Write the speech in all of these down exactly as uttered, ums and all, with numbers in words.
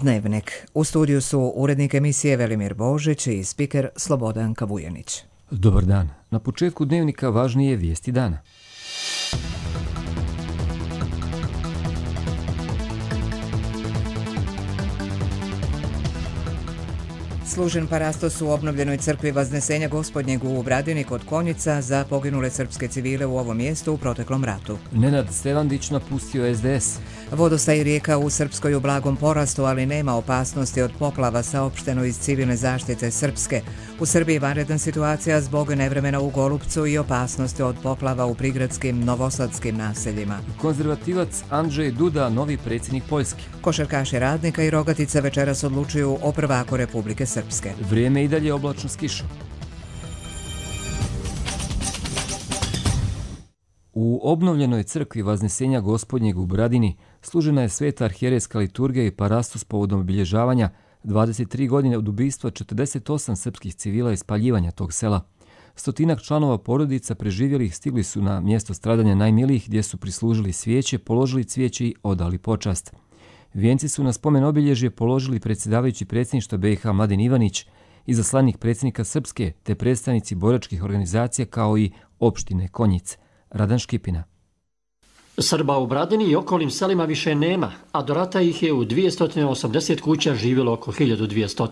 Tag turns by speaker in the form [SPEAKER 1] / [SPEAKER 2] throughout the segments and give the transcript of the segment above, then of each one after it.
[SPEAKER 1] Dnevnik. U studiju su urednik emisije Velimir Božić i spiker Slobodan Kavujanić.
[SPEAKER 2] Dobar dan. Na početku Dnevnika važnije vijesti dana.
[SPEAKER 1] Služen parastos u obnovljenoj crkvi Vaznesenja Gospodnjeg u Bradini kod Konjica za poginule srpske civile u ovom mjestu u proteklom ratu.
[SPEAKER 2] Nenad Stevandić napustio S D S.
[SPEAKER 1] Vodostaj rijeka u Srpskoj u blagom porastu, ali nema opasnosti od poplava, saopšteno iz civilne zaštite Srpske. U Srbiji vanredna situacija zbog nevremena u Golupcu i opasnosti od poplava u prigradskim novosadskim naseljima.
[SPEAKER 2] Konzervativac Andrzej Duda, novi predsjednik Poljske.
[SPEAKER 1] Košarkaši Radnika i Rogatica večeras odlučuju o prvaku Republike Srpske.
[SPEAKER 2] Vrijeme i dalje oblačno s kišom. U obnovljenoj crkvi Vaznesenja Gospodnjeg u Bradini služena je sveta arhijerejska liturgija i parastos povodom obilježavanja dvadeset tri godine od ubistva četrdeset osam srpskih civila i spaljivanja tog sela. Stotinak članova porodica preživjelih stigli su na mjesto stradanja najmilijih gdje su prislužili svijeće, položili cvijeće i odali počast. Vijenci su na spomen obilježje položili predsjedavajući predsjedništva B i H Mladen Ivanić, izaslanik predsjednika Srpske te predstavnici boračkih organizacija kao i opštine Konjic. Radan Škipina.
[SPEAKER 3] Srba u Bradini i okolnim selima više nema, a do rata ih je u dvjesto osamdeset kuća živjelo oko hiljadu dvjesto.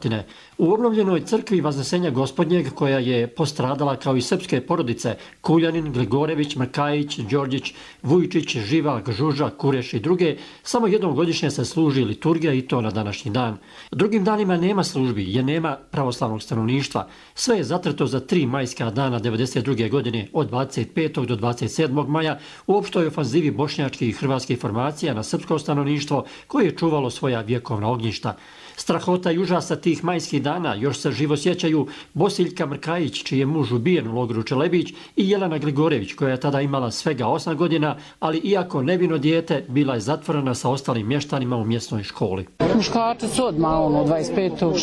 [SPEAKER 3] U obnovljenoj crkvi Vaznesenja Gospodnjeg, koja je postradala kao i srpske porodice Kuljanin, Gligorević, Mrkajić, Đorđić, Vujčić, Živak, Žuža, Kureš i druge, samo jednom godišnje se služi liturgija i to na današnji dan. Drugim danima nema službi jer nema pravoslavnog stanovništva. Sve je zatrto za tri majska dana devedeset druge. godine od dvadeset petog do dvadeset sedmog maja u opštoj ofanzivi bošnjačkih i hrvatskih formacija na srpsko stanovništvo koje je čuvalo svoja vjekovna ognjišta. Strahota i užasa tih majskih dana još se živo sjećaju Bosiljka Mrkajić, čiji je muž ubijen u logoru Čelebić, i Jelena Gligorević, koja je tada imala svega osam godina, ali iako nevino dijete, bila je zatvorena sa ostalim mještanima u mjesnoj školi.
[SPEAKER 4] Muškarci su odmah ono, dvadeset petog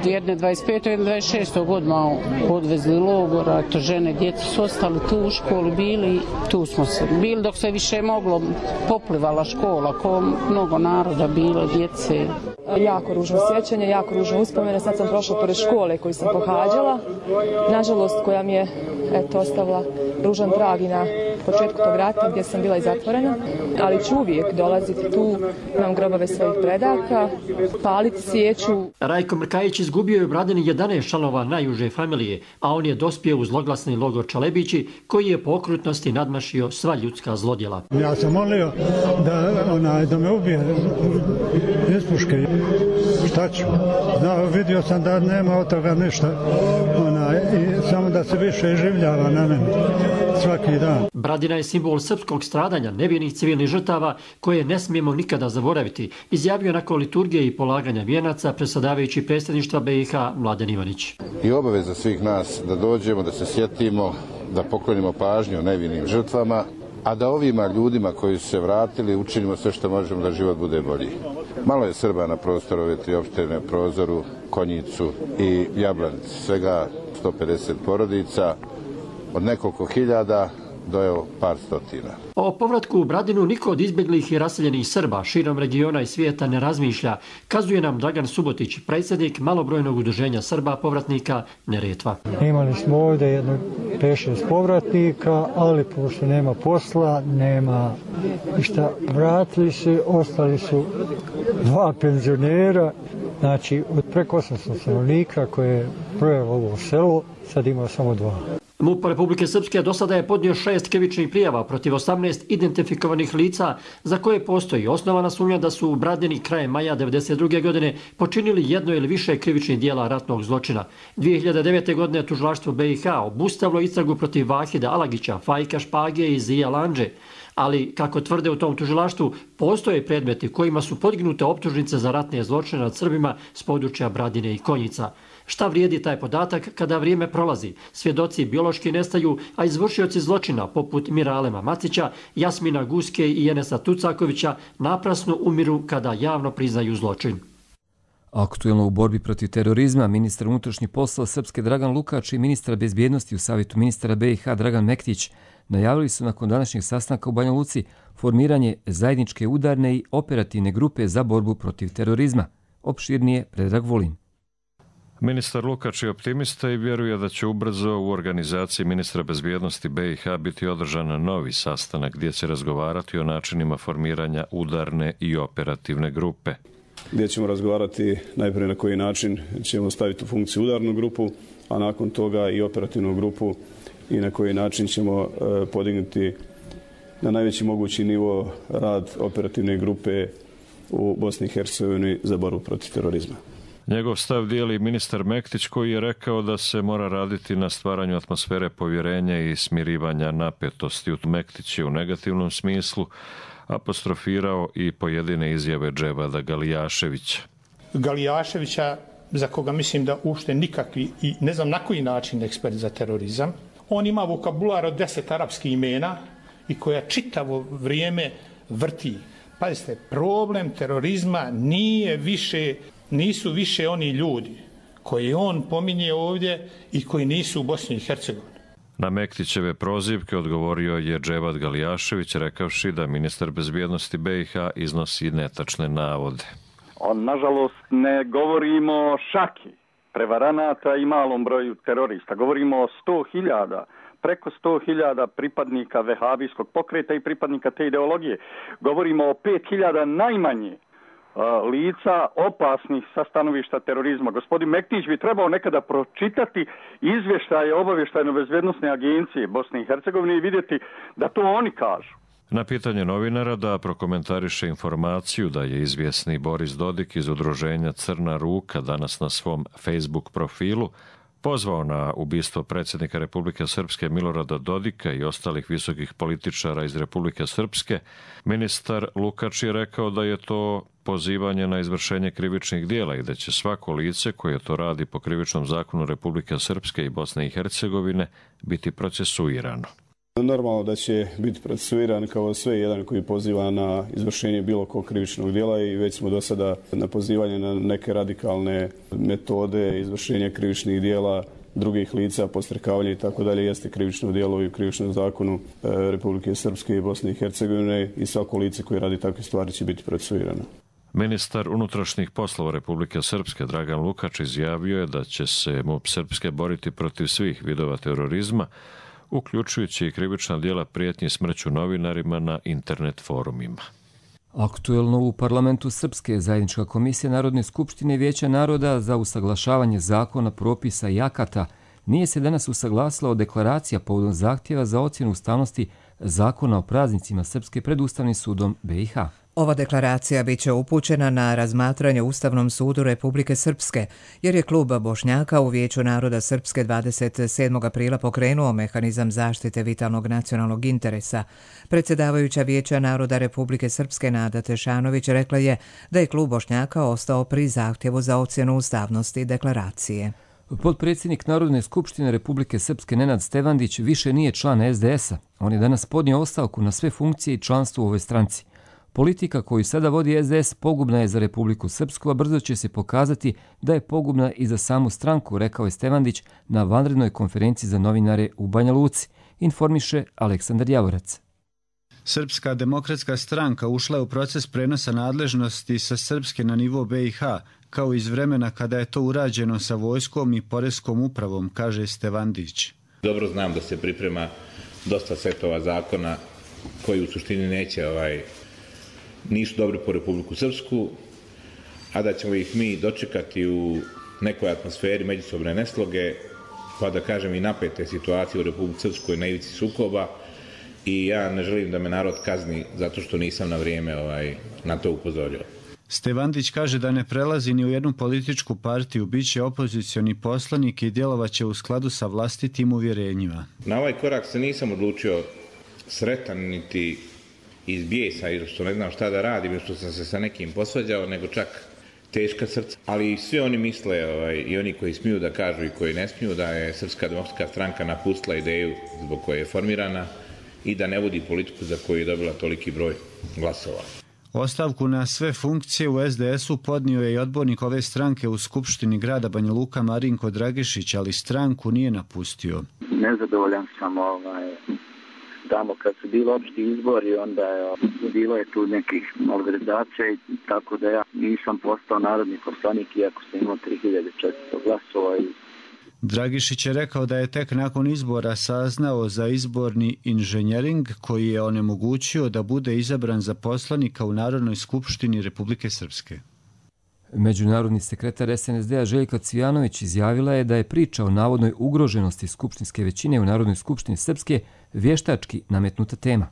[SPEAKER 4] jedne dvadeset petog jedne dvadeset šestog odmah odvezli logora, to žene, djeca su ostali tu u školi, bili, tu smo se bili dok se više moglo, poplivala škola, ko mnogo naroda bilo, djece.
[SPEAKER 5] Jako ružno sjećanje, jako ružno uspomene. Sad sam prošla pored škole koju sam pohađala, nažalost koja mi je eto, ostavila ružan trag i na početku tog rata gdje sam bila i zatvorena, ali ću uvijek dolaziti tu, imam grobove svojih predaka, paliti svijeću.
[SPEAKER 3] Rajko Mrkajić izgubio je u Bradini jedanaest članova najuže familije, a on je dospio u zloglasni logor Čalebići, koji je po okrutnosti nadmašio sva ljudska zlodjela.
[SPEAKER 6] Ja sam molio da, ona, da me ubije iz puške. Šta ću? Znao, vidio sam da nema od toga ništa. Ona, i samo da se više življava na meni svaki dan.
[SPEAKER 3] Bradina je simbol srpskog stradanja, nevinih civilnih žrtava koje ne smijemo nikada zaboraviti, izjavio nakon liturgije i polaganja vijenaca predsjedavajući predsjedništva B i H Mladen Ivanić.
[SPEAKER 7] I obaveza svih nas da dođemo, da se sjetimo, da poklonimo pažnju nevinim žrtvama, a da ovima ljudima koji su se vratili učinimo sve što možemo da život bude bolji. Malo je Srba na prostoru ove tri opštine, Prozoru, Konjicu i Jablanici, svega sto pedeset porodica, od nekoliko hiljada do evo par stotina.
[SPEAKER 3] O povratku u Bradinu niko od izbjeglih i raseljenih Srba širom regiona i svijeta ne razmišlja, kazuje nam Dragan Subotić, predsjednik malobrojnog udruženja Srba povratnika Neretva.
[SPEAKER 8] Imali smo ovdje jedno pet šest povratnika, ali pošto nema posla, nema ništa, vratili se, ostali su dva penzionera, znači od preko osamsto stanovnika koje je brojalo ovo selo, sad ima samo dva.
[SPEAKER 3] MUP Republike Srpske do sada je podnio šest krivičnih prijava protiv osamnaest identifikovanih lica za koje postoji osnovana sumnja da su u Bradini krajem maja devedeset druge. godine počinili jedno ili više krivičnih dijela ratnog zločina. dvije hiljade devete. godine tužilaštvo B i H obustavilo istragu protiv Vahida Alagića, Fajka Špage i Zija Landže. Ali, kako tvrde u tom tužilaštvu, postoje predmeti kojima su podignute optužnice za ratne zločine nad Srbima s područja Bradine i Konjica. Šta vrijedi taj podatak kada vrijeme prolazi? Svjedoci biološki nestaju, a izvršioci zločina poput Miralema Macića, Jasmina Guske i Enesa Tucakovića naprasno umiru kada javno priznaju zločin.
[SPEAKER 2] Aktuelno u borbi protiv terorizma ministar unutrašnjih poslova Srpske Dragan Lukač i ministar bezbjednosti u savjetu ministara B i H Dragan Mektić najavili su nakon današnjeg sastanka u Banja Luci formiranje zajedničke udarne i operativne grupe za borbu protiv terorizma. Opširnije Predrag Vulin.
[SPEAKER 9] Ministar Lukač je optimista i vjeruje da će ubrzo u organizaciji ministra bezbjednosti B i H biti održan novi sastanak gdje će razgovarati o načinima formiranja udarne i operativne grupe.
[SPEAKER 10] Gdje ćemo razgovarati najprije na koji način ćemo staviti u funkciju udarnu grupu, a nakon toga i operativnu grupu i na koji način ćemo podignuti na najveći mogući nivo rad operativne grupe u Bosni i Hercegovini za borbu protiv terorizma.
[SPEAKER 9] Njegov stav dijeli ministar Mektić koji je rekao da se mora raditi na stvaranju atmosfere povjerenja i smirivanja napetosti. Mektić je u negativnom smislu apostrofirao i pojedine izjave Dževada Galijaševića.
[SPEAKER 11] Galijaševića, za koga mislim da uopšte nikakvi i ne znam na koji način ekspert za terorizam. On ima vokabular od deset arapskih imena i koja čitavo vrijeme vrti. Pazite, problem terorizma nije više, nisu više oni ljudi koji on pominje ovdje i koji nisu u Bosni i Hercegovini.
[SPEAKER 9] Na Mektićeve prozivke odgovorio je Dževad Galijašević rekavši da ministar bezbjednosti B i H iznosi netačne navode.
[SPEAKER 12] On, nažalost, ne govorimo o šaki prevaranata i malom broju terorista. Govorimo o sto hiljada, preko sto hiljada pripadnika vehabijskog pokreta i pripadnika te ideologije. Govorimo o pet hiljada najmanje lica opasnih sa stanovišta terorizma. Gospodin Mektić bi trebao nekada pročitati izvještaje obavještajno-bezbjednosne agencije Bosne i Hercegovine i vidjeti da to oni kažu.
[SPEAKER 9] Na pitanje novinara da prokomentariše informaciju da je izvjesni Boris Dodik iz udruženja Crna ruka danas na svom Facebook profilu pozvao na ubistvo predsjednika Republike Srpske Milorada Dodika i ostalih visokih političara iz Republike Srpske, ministar Lukač je rekao da je to pozivanje na izvršenje krivičnih djela i da će svako lice koje to radi po krivičnom zakonu Republike Srpske i Bosne i Hercegovine biti procesuirano.
[SPEAKER 10] Normalno da će biti procesuiran kao sve jedan koji poziva na izvršenje bilo kog krivičnog djela i već smo do sada na pozivanje na neke radikalne metode izvršenja krivičnih djela drugih lica, podstrekavanje i tako dalje jeste krivično djelo i u krivičnom zakonu Republike Srpske i Bosne i Hercegovine i svako lice koje radi takve stvari će biti procesuirano.
[SPEAKER 9] Ministar unutrašnjih poslova Republike Srpske Dragan Lukač izjavio je da će se MUP Srpske boriti protiv svih vidova terorizma, uključujući i krivična djela prijetnji smrću novinarima na internet forumima.
[SPEAKER 2] Aktuelno u parlamentu Srpske zajednička komisija Narodne skupštine i Vijeća naroda za usaglašavanje zakona, propisa i akata nije se danas usaglasila o deklaracija povodom zahtjeva za ocjenu ustavnosti zakona o praznicima Srpske pred Ustavnim sudom B i H.
[SPEAKER 1] Ova deklaracija bit će upućena na razmatranje Ustavnom sudu Republike Srpske, jer je klub Bošnjaka u Vijeću naroda Srpske dvadeset sedmog aprila pokrenuo mehanizam zaštite vitalnog nacionalnog interesa. Predsjedavajuća Vijeća naroda Republike Srpske Nada Tešanović rekla je da je klub Bošnjaka ostao pri zahtjevu za ocjenu ustavnosti deklaracije.
[SPEAKER 2] Potpredsjednik Narodne skupštine Republike Srpske Nenad Stevandić više nije član S D S-a. On je danas podnio ostavku na sve funkcije i članstvo u ovoj stranci. Politika koju sada vodi S D S pogubna je za Republiku Srpsku, a brzo će se pokazati da je pogubna i za samu stranku, rekao je Stevandić na vanrednoj konferenciji za novinare u Banja Luci, informiše Aleksandar Javorac.
[SPEAKER 13] Srpska demokratska stranka ušla je u proces prenosa nadležnosti sa Srpske na nivo B i H, kao iz vremena kada je to urađeno sa vojskom i poreskom upravom, kaže Stevandić.
[SPEAKER 14] Dobro znam da se priprema dosta setova zakona koji u suštini neće ovaj, nisu dobri po Republiku Srpsku, a da ćemo ih mi dočekati u nekoj atmosferi međusobne nesloge, pa da kažem i napete situacije u Republiku Srpskoj na ivici sukoba, i ja ne želim da me narod kazni zato što nisam na vrijeme ovaj, na to upozorio.
[SPEAKER 13] Stevandić kaže da ne prelazi ni u jednu političku partiju, bit će opozicioni poslanik i djelovaće u skladu sa vlastitim uvjerenjima.
[SPEAKER 14] Na ovaj korak se nisam odlučio sretan niti iz bijesa i što ne znam šta da radim, što sam se sa nekim posvađao, nego čak teška srca. Ali svi oni misle, ovaj, i oni koji smiju da kažu i koji ne smiju, da je Srpska demokratska stranka napustila ideju zbog koje je formirana i da ne vodi politiku za koju je dobila toliki broj glasova.
[SPEAKER 13] Ostavku na sve funkcije u S D S-u podnio je i odbornik ove stranke u Skupštini grada Banja Luka Marinko Dragišić, ali stranku nije napustio.
[SPEAKER 15] Nezadovoljan sam ovaj, tamo kad su bili opšti izbori, onda je bilo je tu nekih malverzacija, tako da ja nisam postao narodni poslanik iako sam imao tri hiljade četiristo glasova.
[SPEAKER 13] Dragišić je rekao da je tek nakon izbora saznao za izborni inženjering koji je onemogućio da bude izabran za poslanika u Narodnoj skupštini Republike Srpske.
[SPEAKER 2] Međunarodni sekretar S N S D-a Željka Cvijanović izjavila je da je priča o navodnoj ugroženosti skupštinske većine u Narodnoj skupštini Srpske vještački nametnuta tema.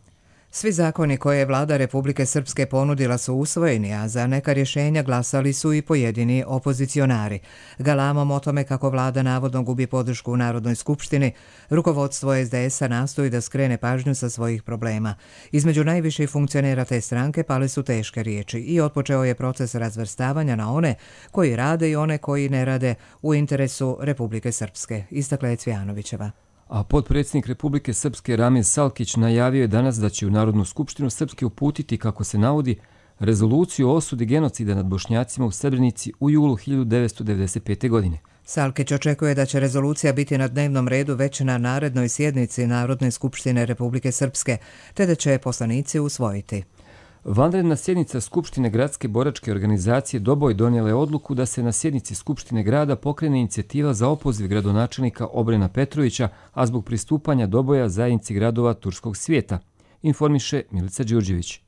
[SPEAKER 1] Svi zakoni koje je vlada Republike Srpske ponudila su usvojeni, a za neka rješenja glasali su i pojedini opozicionari. Galamom o tome kako vlada navodno gubi podršku u Narodnoj skupštini, rukovodstvo S D S-a nastoji da skrene pažnju sa svojih problema. Između najviših funkcionera te stranke pale su teške riječi i otpočeo je proces razvrstavanja na one koji rade i one koji ne rade u interesu Republike Srpske, istakla je Cvijanovićeva.
[SPEAKER 2] A potpredsjednik Republike Srpske Ramiz Salkić najavio je danas da će u Narodnu skupštinu Srpske uputiti, kako se navodi, rezoluciju o osudi genocida nad Bošnjacima u Srebrenici u julu hiljadu devetsto devedeset pete. godine.
[SPEAKER 1] Salkić očekuje da će rezolucija biti na dnevnom redu već na narednoj sjednici Narodne skupštine Republike Srpske, te da će je poslanici usvojiti.
[SPEAKER 2] Vanredna sjednica Skupštine gradske boračke organizacije Doboj donijela je odluku da se na sjednici Skupštine grada pokrene inicijativa za opoziv gradonačelnika Obrena Petrovića, a zbog pristupanja Doboja zajednici gradova turskog svijeta, informiše Milica Đurđević.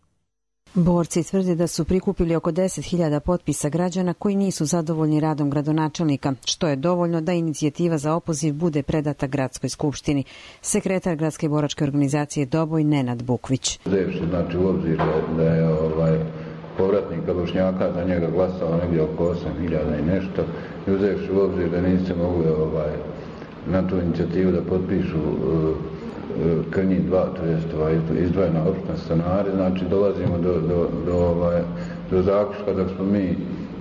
[SPEAKER 16] Borci tvrde da su prikupili oko deset hiljada potpisa građana koji nisu zadovoljni radom gradonačelnika, što je dovoljno da inicijativa za opoziv bude predata gradskoj skupštini. Sekretar gradske boračke organizacije Doboj Nenad Bukvić.
[SPEAKER 17] Uzevši znači u obzir da je ovaj, povratnika Bošnjaka za njega glasao negdje oko osam hiljada i nešto, i uzevši u obzir da niste mogli ovaj, na tu inicijativu da potpišu uh, Krnji dva, to je izdvojena opština stanari, znači dolazimo do, do, do, ovaj, do zaključka da smo mi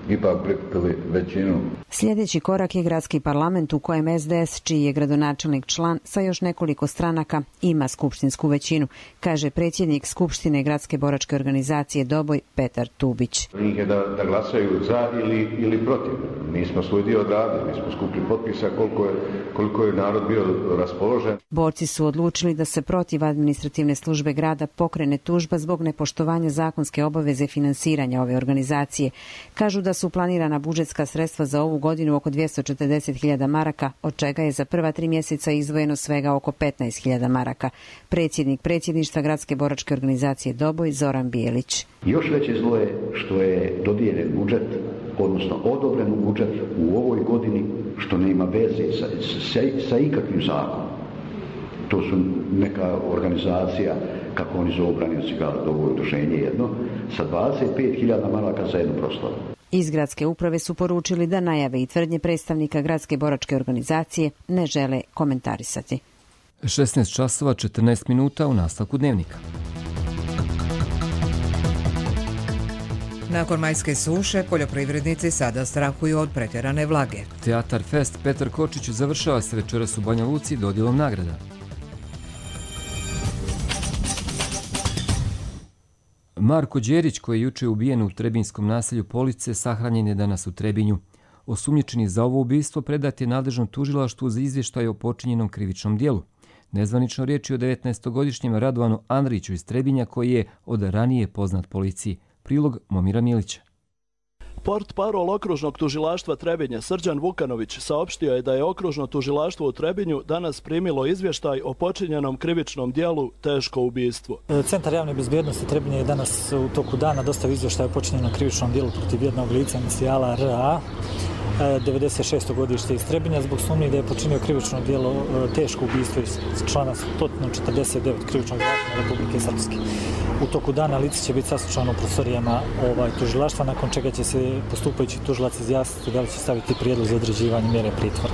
[SPEAKER 17] ipak prikupili većinu.
[SPEAKER 16] Sljedeći korak je gradski parlament u kojem S D S, čiji je gradonačelnik član sa još nekoliko stranaka, ima skupštinsku većinu, kaže predsjednik Skupštine gradske boračke organizacije Doboj Petar Tubić.
[SPEAKER 17] Njih je da, da glasaju za ili, ili protiv. Mi smo svoj dio odradili, mi smo skupili potpisa koliko je, koliko je narod bio raspoložen.
[SPEAKER 16] Borci su odlučili da se protiv administrativne službe grada pokrene tužba zbog nepoštovanja zakonske obaveze finansiranja ove organizacije. Kažu da su planirana budžetska sredstva za ovu godinu oko dvjesto četrdeset hiljada maraka, od čega je za prva tri mjeseca izdvojeno svega oko petnaest hiljada maraka. Predsjednik predsjedništva gradske boračke organizacije Doboj Zoran Bijelić.
[SPEAKER 18] Još veće zlo je što je dodijeljen budžet, odnosno odobren budžet u ovoj godini, što nema veze sa, sa, sa ikakvim zakonom. To su neka organizacija, kako oni zovu branioci grada, ovo je udruženje jedno, sa dvadeset pet hiljada maraka za jednu proslavu.
[SPEAKER 16] Iz gradske uprave su poručili da najave i tvrdnje predstavnika gradske boračke organizacije ne žele komentarisati.
[SPEAKER 2] šesnaest časova četrnaest minuta u nastavku dnevnika.
[SPEAKER 1] Nakon majske suše, poljoprivrednici sada strahuju od pretjerane vlage.
[SPEAKER 2] Teatar Fest Petar Kočić završava se večeras u Banja Luci dodjelom nagrada. Marko Đerić, koji je juče ubijen u trebinjskom naselju Police, sahranjen je danas u Trebinju. Osumnjičeni za ovo ubistvo predat je nadležnom tužilaštvu za izvještaj o počinjenom krivičnom dijelu. Nezvanično riječ je o devetnaestogodišnjem Radovanu Andriću iz Trebinja, koji je od ranije poznat policiji. Prilog Momira Milića.
[SPEAKER 19] Portparol okružnog tužilaštva Trebinja Srđan Vukanović saopštio je da je okružno tužilaštvo u Trebinju danas primilo izvještaj o počinjenom krivičnom dijelu teško ubistvo.
[SPEAKER 20] Centar javne bezbjednosti Trebinja je danas u toku dana dostavio izvještaj o počinjenom krivičnom dijelu protiv jednog lica inicijala R A, devedeset šesto godište iz Trebinja, zbog sumnje da je počinio krivično djelo teško ubistvo iz člana sto četrdeset devet krivičnog zakona Republike Srpske. U toku dana lice će biti saslušano u prostorijama ovaj, tužilaštva, nakon čega će se postupajući tužilac izjasniti da li će staviti prijedlog za određivanje mjere pritvora.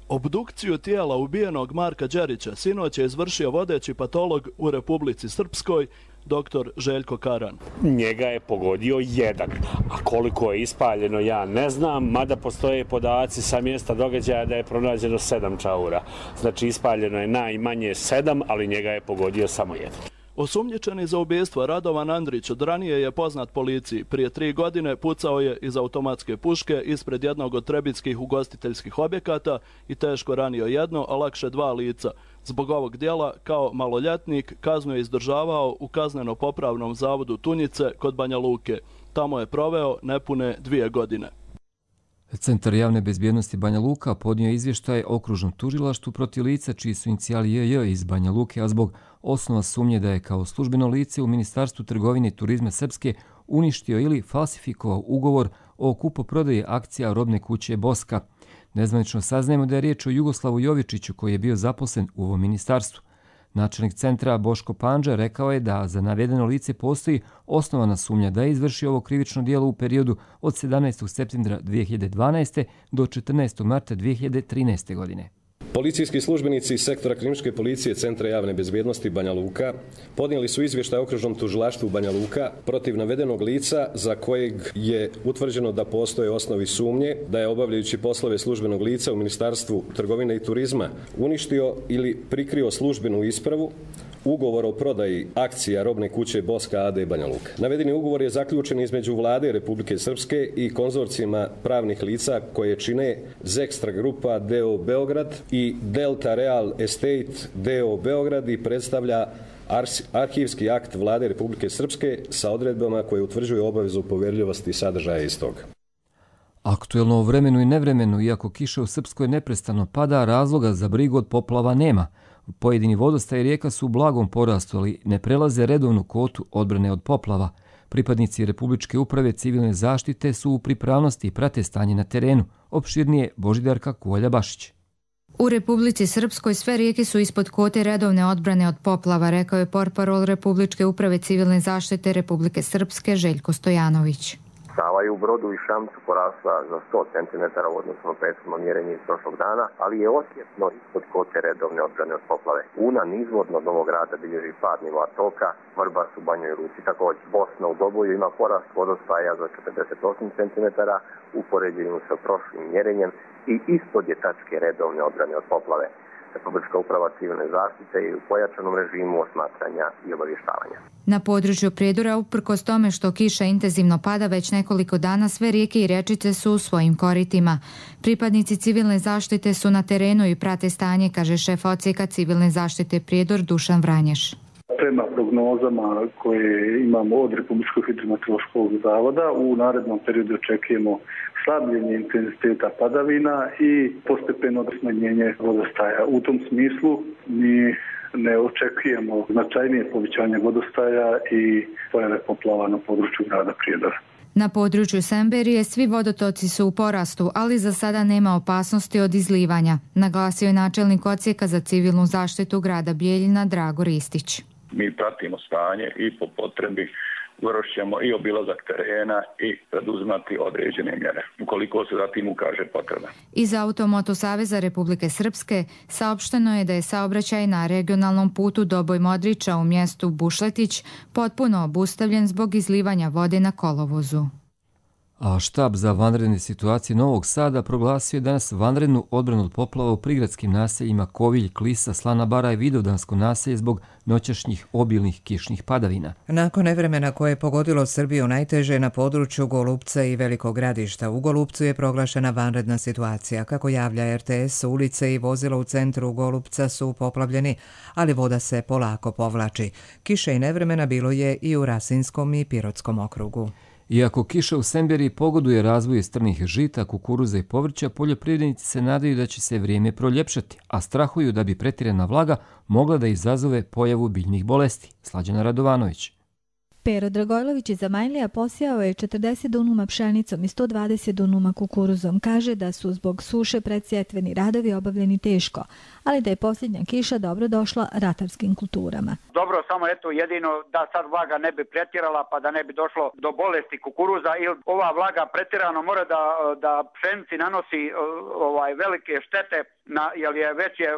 [SPEAKER 19] Obdukciju tijela ubijenog Marka Đerića sinoć je izvršio vodeći patolog u Republici Srpskoj, doktor Željko Karan.
[SPEAKER 21] Njega je pogodio jedan, a koliko je ispaljeno ja ne znam, mada postoje podaci sa mjesta događaja da je pronađeno sedam čaura. Znači ispaljeno je najmanje sedam, ali njega je pogodio samo jedan.
[SPEAKER 19] Osumnjičeni za ubijstvo Radovan Andrić od ranije je poznat policiji. Prije tri godine pucao je iz automatske puške ispred jednog od trebitskih ugostiteljskih objekata i teško ranio jedno, a lakše dva lica. Zbog ovog djela, kao maloljetnik, kaznu je izdržavao u kazneno-popravnom zavodu Tunjice kod Banja Luke. Tamo je proveo nepune dvije godine.
[SPEAKER 2] Centar javne bezbjednosti Banja Luka podnio izvještaj okružnom tužilaštvu protiv lica čiji su inicijali J J iz Banja Luke, a zbog osnova sumnje da je kao službeno lice u Ministarstvu trgovine i turizma Srpske uništio ili falsifikovao ugovor o kupoprodaji akcija robne kuće Boska. Nezvanično saznajemo da je riječ o Jugoslavu Jovičiću koji je bio zaposlen u ovom ministarstvu. Načelnik centra Boško Pandža rekao je da za navedeno lice postoji osnovana sumnja da je izvršio ovo krivično djelo u periodu od sedamnaestog septembra dvije hiljade dvanaeste. do četrnaestog marta dvije hiljade trinaeste. godine.
[SPEAKER 4] Policijski službenici iz sektora kriminalističke policije Centra javne bezbjednosti Banja Luka podnijeli su izvještaj okružnom tužilaštvu Banja Luka protiv navedenog lica za kojeg je utvrđeno da postoje osnovi sumnje da je obavljajući poslove službenog lica u Ministarstvu trgovine i turizma uništio ili prikrio službenu ispravu ugovor o prodaji akcija robne kuće Boska A D Banja Luka. Navedeni ugovor je zaključen između Vlade Republike Srpske i konzorcijima pravnih lica koje čine Zekstra Grupa D O Beograd i Delta Real Estate D O Beograd i predstavlja arhivski akt Vlade Republike Srpske sa odredbama koje utvrđuju obavezu poverljivosti sadržaja istog.
[SPEAKER 2] Aktuelno o vremenu i nevremenu, iako kiša u Srpskoj neprestano pada, razloga za brigu od poplava nema. Pojedini vodostaji rijeka su u blagom porastu, ali ne prelaze redovnu kvotu odbrane od poplava. Pripadnici Republičke uprave civilne zaštite su u pripravnosti i prate stanje na terenu. Opširnije Božidarka Kuvalja-Bašić.
[SPEAKER 22] U Republici Srpskoj sve rijeke su ispod kvote redovne odbrane od poplava, rekao je portparol Republičke uprave civilne zaštite Republike Srpske Željko Stojanović.
[SPEAKER 23] Sava je u Brodu i Šamcu porasla za sto centimetara u odnosu na prethodno mjerenje iz prošlog dana, ali je osjetno ispod kote redovne odbrane od poplave. Una nizvodno od Novog Grada bilježi pad nivoa toka, Vrbas u Banjoj Luci također. Bosna u Doboju ima porast vodostaja za četrdeset osam centimetara u poređenju sa prošlim mjerenjem i ispod je tačke redovne odbrane od poplave. Republička uprava civilne zaštite je u pojačanom režimu osmatranja i obavještavanja.
[SPEAKER 22] Na području Prijedora, uprkos tome što kiša intenzivno pada već nekoliko dana, sve rijeke i rečice su u svojim koritima. Pripadnici civilne zaštite su na terenu i prate stanje, kaže šef odsjeka civilne zaštite Prijedor Dušan Vranješ.
[SPEAKER 24] Prema prognozama koje imamo od Republičkog hidrometeorološkog zavoda, u narednom periodu očekujemo slabljenje intenziteta padavina i postepeno smanjenje vodostaja. U tom smislu mi ne očekujemo značajnije povećanje vodostaja i pojave poplava na području grada Prijedora.
[SPEAKER 22] Na području Semberije svi vodotoci su u porastu, ali za sada nema opasnosti od izlivanja, naglasio je načelnik odsjeka za civilnu zaštitu grada Bijeljina Drago Ristić.
[SPEAKER 25] Mi pratimo stanje i po potrebi vršćemo i obilazak terena i preduzimati određene mjere, ukoliko se zatim ukaže potreba.
[SPEAKER 22] Iz Automoto Saveza Republike Srpske saopšteno je da je saobraćaj na regionalnom putu Doboj Modriča u mjestu Bušletić potpuno obustavljen zbog izlivanja vode na kolovozu.
[SPEAKER 2] A štab za vanredne situacije Novog Sada proglasio je danas vanrednu odbranu od poplava u prigradskim naseljima Kovilj, Klisa, Slana Bara i Vidovdansko naselje zbog noćašnjih obilnih kišnih padavina.
[SPEAKER 1] Nakon nevremena koje je pogodilo Srbiju najteže na području Golupca i Velikog Gradišta, u Golupcu je proglašena vanredna situacija. Kako javlja R T S, ulice i vozila u centru Golupca su poplavljeni, ali voda se polako povlači. Kiše i nevremena bilo je i u Rasinskom i Pirotskom okrugu.
[SPEAKER 2] Iako kiša u Semberiji pogoduje razvoju strnih žita, kukuruza i povrća, poljoprivrednici se nadaju da će se vrijeme proljepšati, a strahuju da bi pretjerana vlaga mogla da izazove pojavu biljnih bolesti. Slađana Radovanović.
[SPEAKER 26] Pero Dragojlović iz Zamajlija posijao je četrdeset dunuma pšenicom i sto dvadeset dunuma kukuruzom. Kaže da su zbog suše predsjetveni radovi obavljeni teško, ali da je posljednja kiša dobro došla ratarskim kulturama.
[SPEAKER 27] Dobro, samo eto jedino da sad vlaga ne bi pretjerala pa da ne bi došlo do bolesti kukuruza, ili ova vlaga pretjerano mora da, da pšenici nanosi ovaj velike štete, na, jer je već je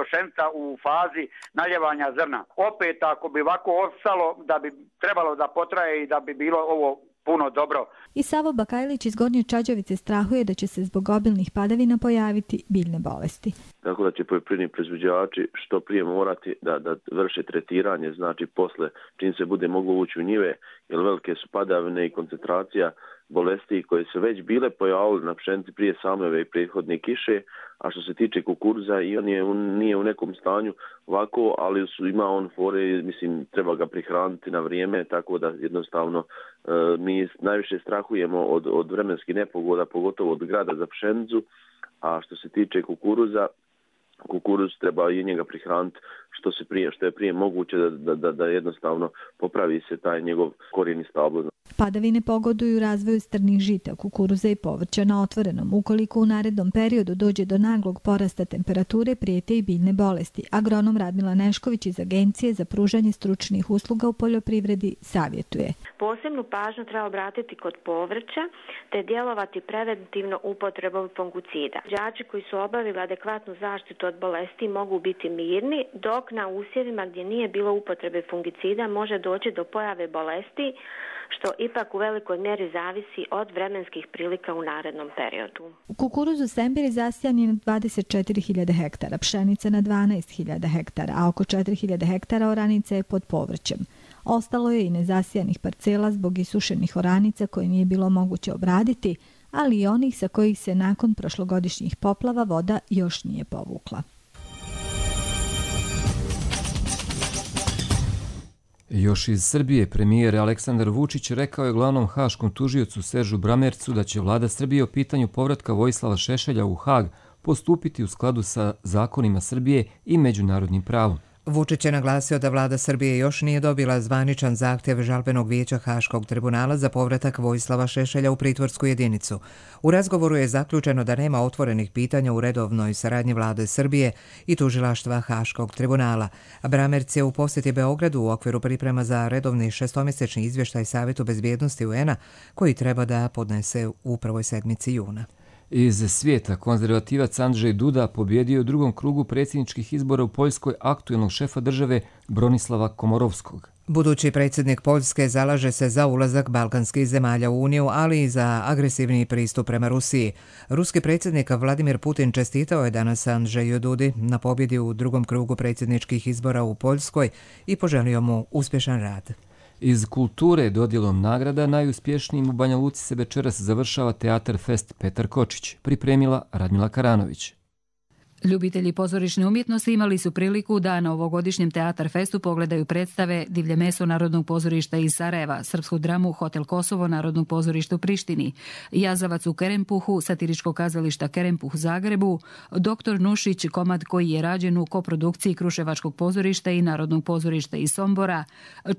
[SPEAKER 27] pšenica u fazi naljevanja zrna. Opet ako bi ovako ostalo da bi trebalo da potraje i da bi bilo ovo puno dobro.
[SPEAKER 26] I Savo Bakajlić iz Gornje Čađavice strahuje da će se zbog obilnih padavina pojaviti biljne bolesti.
[SPEAKER 3] Tako da će poljoprivredni proizvođači što prije morati da, da vrše tretiranje, znači posle čim se bude moglo ući u njive, jer velike su padavine i koncentracija bolesti koje su već bile pojavile na pšenici prije same ove prethodne kiše, a što se tiče kukuruza i on je, on nije u nekom stanju ovako, ali su, ima on fore, mislim, treba ga prihraniti na vrijeme, tako da jednostavno e, mi najviše strahujemo od, od vremenskih nepogoda, pogotovo od grada za pšenicu, a što se tiče kukuruza, kukuruz treba i njega prihraniti što se prije, što je prije moguće da, da, da jednostavno popravi se taj njegov korijeni stablo.
[SPEAKER 26] Padavine pogoduju razvoju strnih žita, kukuruza i povrća na otvorenom. Ukoliko u narednom periodu dođe do naglog porasta temperature, prijete i biljne bolesti. Agronom Radmila Nešković iz Agencije za pružanje stručnih usluga u poljoprivredi savjetuje.
[SPEAKER 5] Posebnu pažnju treba obratiti kod povrća te djelovati preventivno upotrebom fungicida. Đači koji su obavili adekvatnu zaštitu od bolesti mogu biti mirni, dok na usjevima gdje nije bilo upotrebe fungicida može doći do pojave bolesti, što ipak u velikoj mjeri zavisi od vremenskih prilika u narednom periodu.
[SPEAKER 26] U kukuruzu Sembir zasijan je na dvadeset četiri hiljade hektara, pšenica na dvanaest hiljada hektara, a oko četiri hiljade hektara oranica je pod povrćem. Ostalo je i nezasijanih parcela zbog isušenih oranica koje nije bilo moguće obraditi, ali i onih sa kojih se nakon prošlogodišnjih poplava voda još nije povukla.
[SPEAKER 2] Još iz Srbije premijer Aleksandar Vučić rekao je glavnom haškom tužiocu Seržu Bramercu da će vlada Srbije o pitanju povratka Vojislava Šešelja u Hag postupiti u skladu sa zakonima Srbije i međunarodnim pravom.
[SPEAKER 1] Vučić je naglasio da vlada Srbije još nije dobila zvaničan zahtjev žalbenog vijeća Haškog tribunala za povratak Vojislava Šešelja u pritvorsku jedinicu. U razgovoru je zaključeno da nema otvorenih pitanja u redovnoj saradnji vlade Srbije i tužilaštva Haškog tribunala. Bramerc je u posjeti Beogradu u okviru priprema za redovni šestomjesečni izvještaj Savjetu bezbjednosti U N A koji treba da podnese u prvoj sedmici juna.
[SPEAKER 2] Iz svijeta konzervativac Andrzej Duda pobjedio u drugom krugu predsjedničkih izbora u Poljskoj aktuelnog šefa države Bronislava Komorovskog.
[SPEAKER 1] Budući predsjednik Poljske zalaže se za ulazak balkanskih zemalja u Uniju, ali i za agresivni pristup prema Rusiji. Ruski predsjednik Vladimir Putin čestitao je danas Andrzeju Dudi na pobjedi u drugom krugu predsjedničkih izbora u Poljskoj i poželio mu uspješan rad.
[SPEAKER 2] Iz kulture dodjelom nagrada najuspješnijim u Banja Luci se večeras završava Teatar Fest Petar Kočić, pripremila Radmila Karanović.
[SPEAKER 6] Ljubitelji pozorišne umjetnosti imali su priliku da na ovogodišnjem Teatar Festu pogledaju predstave Divlje meso Narodnog pozorišta iz Sarajeva, srpsku dramu Hotel Kosovo Narodnog pozorišta u Prištini, Jazavac u Kerempuhu, satiričko kazališta Kerempuh u Zagrebu, Doktor Nušić, komad koji je rađen u koprodukciji Kruševačkog pozorišta i Narodnog pozorišta iz Sombora,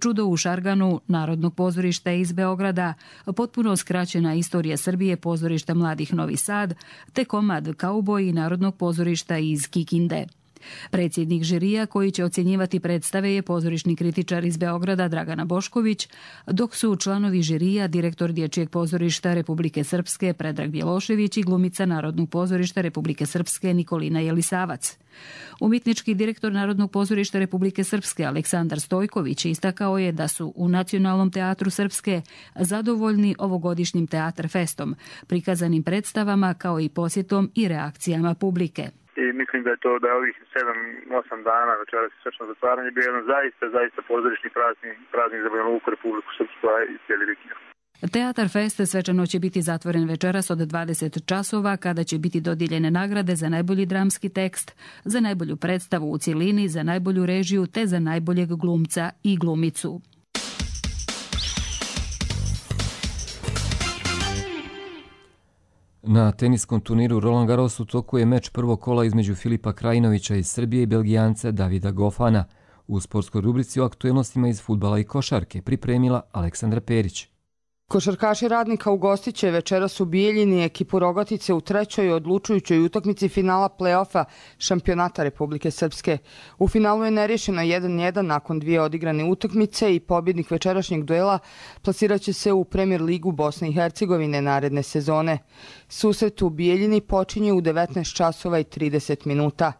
[SPEAKER 6] Čudo u Šarganu Narodnog pozorišta iz Beograda, potpuno skraćena istorija Srbije pozorišta Mladih Novi Sad, te komad Kauboji Narodnog pozorišta iz Kikinde. Predsjednik žirija koji će ocjenjivati predstave je pozorišni kritičar iz Beograda Dragana Bošković, dok su članovi žirija direktor Dječjeg pozorišta Republike Srpske Predrag Bjelošević i glumica Narodnog pozorišta Republike Srpske Nikolina Jelisavac. Umjetnički direktor Narodnog pozorišta Republike Srpske Aleksandar Stojković istakao je da su u Nacionalnom teatru Srpske zadovoljni ovogodišnjim Teatar Festom, prikazanim predstavama kao i posjetom i reakcijama publike.
[SPEAKER 7] I mislim da je to da je ovih sedam osam dana večeras svečano zatvaranje bio jedan zaista, zaista pozorišni praznik, praznik za Banja Luku, Republiku Srpsku i cijeli region.
[SPEAKER 6] Teatar Fest svečano će biti zatvoren večeras od dvadeset časova kada će biti dodijeljene nagrade za najbolji dramski tekst, za najbolju predstavu u cjelini, za najbolju režiju te za najboljeg glumca i glumicu.
[SPEAKER 2] Na teniskom turniru Roland Garros u toku je meč prvog kola između Filipa Krajinovića iz Srbije i Belgijanca Davida Gofana. U sportskoj rubrici o aktuelnostima iz fudbala i košarke pripremila Aleksandra Perić.
[SPEAKER 8] Košarkaši Radnika ugostit će večeras u Bijeljini ekipu Rogatice u trećoj odlučujućoj utakmici finala play-offa šampionata Republike Srpske. U finalu je nerješeno jedan jedan nakon dvije odigrane utakmice i pobjednik večerašnjeg duela plasirat će se u Premier ligu Bosne i Hercegovine naredne sezone. Susret u Bijeljini počinje u devetnaest časova i trideset minuta.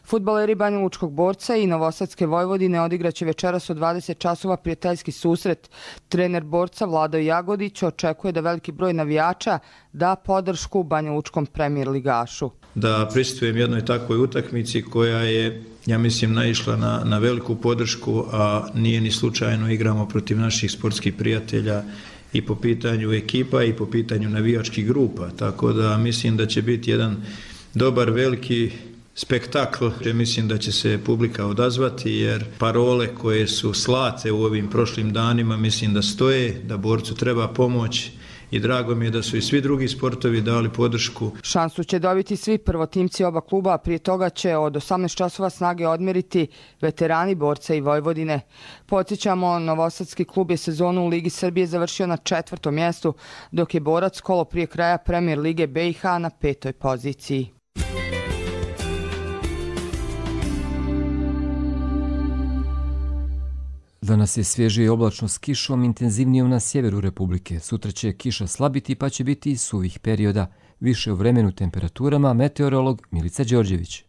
[SPEAKER 8] Fudbaleri Banjalučkog Borca i Novosadske Vojvodine odigraće večeras u dvadeset časova prijateljski susret. Trener Borca Vlado Jagodić očekuje da veliki broj navijača da podršku Banjalučkom premijer ligašu.
[SPEAKER 9] Da pristupujem jednoj takvoj utakmici koja je, ja mislim, naišla na, na veliku podršku, a nije ni slučajno, igramo protiv naših sportskih prijatelja i po pitanju ekipa i po pitanju navijačkih grupa, tako da mislim da će biti jedan dobar veliki spektakl. Mislim da će se publika odazvati jer parole koje su slate u ovim prošlim danima mislim da stoje, da Borcu treba pomoć i drago mi je da su i svi drugi sportovi dali podršku.
[SPEAKER 8] Šansu će dobiti svi prvotimci oba kluba, a prije toga će od osamnaest časova snage odmeriti veterani Borca i Vojvodine. Podsjećamo, Novosadski klub je sezonu u Ligi Srbije završio na četvrtom mjestu, dok je Borac kolo prije kraja Premier Lige B i H na petoj poziciji.
[SPEAKER 2] Danas je svježe i oblačno s kišom, intenzivnijom na sjeveru Republike. Sutra će kiša slabiti pa će biti i suvih perioda. Više u vremenu temperaturama, meteorolog Milica Đorđević.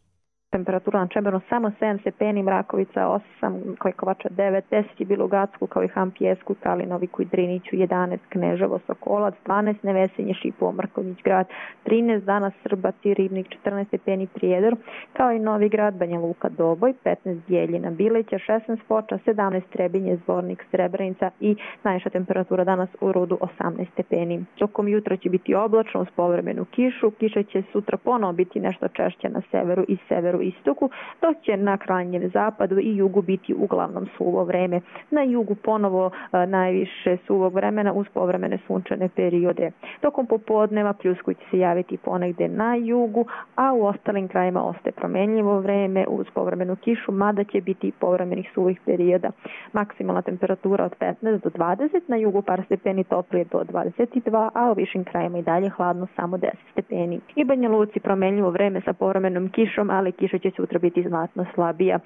[SPEAKER 10] Temperatura na Čemernu samo sedam stepeni, Mrakovica osam, Kojkovača devet, deset je bilo u Gacku, kao i Hampijesku, Kalinoviku i Driniću jedanaest, Kneževo, Sokolac dvanaest, Nevesinje, Šipovo, Mrkonjić grad trinaest, danas Srbac i Ribnik četrnaest stepeni, Prijedor, kao i Novi Grad, Banja Luka, Doboj petnaest, Bijeljina, Bileća šesnaest, Foča sedamnaest, Trebinje, Zvornik, Srebrenica i najviša temperatura danas u Rudu osamnaest stepeni. Tokom jutra će biti oblačno uz povremenu kišu, kiša će sutra ponovo biti nešto češća na severu i severu istoku, dok će na krajnjem zapadu i jugu biti uglavnom suvo vreme. Na jugu ponovo a, najviše suvog vremena uz povremene sunčane periode. Tokom popodneva pljusku će se javiti ponegde na jugu, a u ostalim krajima ostaje promenljivo vreme uz povremenu kišu, mada će biti i povremenih suvih perioda. Maksimalna temperatura od petnaest do dvadeset, na jugu par stepeni toplije do dvadeset dva, a u višim krajima i dalje hladno samo deset stepeni. I Banja Luci promenljivo vreme sa povremenom kišom, ali kiša će sutra biti znatno slabija.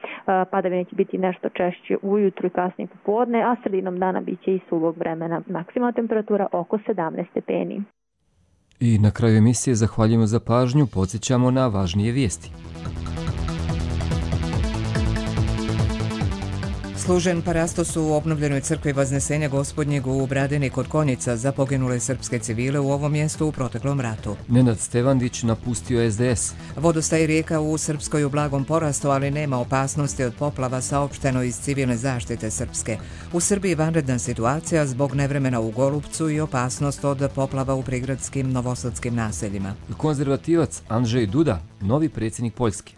[SPEAKER 10] Padavine će biti nešto češće ujutru i kasnije popodne, a sredinom dana bit će i suvog vremena. Maksimalna temperatura oko sedamnaest stepeni.
[SPEAKER 2] I na kraju emisije zahvaljujemo za pažnju, podsjećamo na važnije vijesti.
[SPEAKER 1] Služen parastos u obnovljenoj crkvi Vaznesenja Gospodnjeg u Bradini kod Konjica za poginule srpske civile u ovom mjestu u proteklom ratu.
[SPEAKER 2] Nenad Stevandić napustio es de es.
[SPEAKER 1] Vodostaj rijeka u Srpskoj u blagom porastu, ali nema opasnosti od poplava, saopšteno iz civilne zaštite Srpske. U Srbiji vanredna situacija zbog nevremena u Golupcu i opasnost od poplava u prigradskim novosadskim naseljima.
[SPEAKER 2] Konzervativac Andrzej Duda, novi predsjednik Poljske.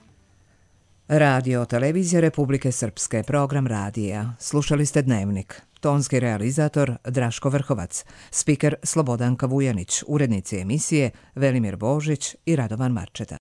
[SPEAKER 1] Radio Televizija Republike Srpske, program radija. Slušali ste Dnevnik. Tonski realizator Draško Vrhovac, spiker Slobodanka Vujanić, urednici emisije Velimir Božić i Radovan Marčeta.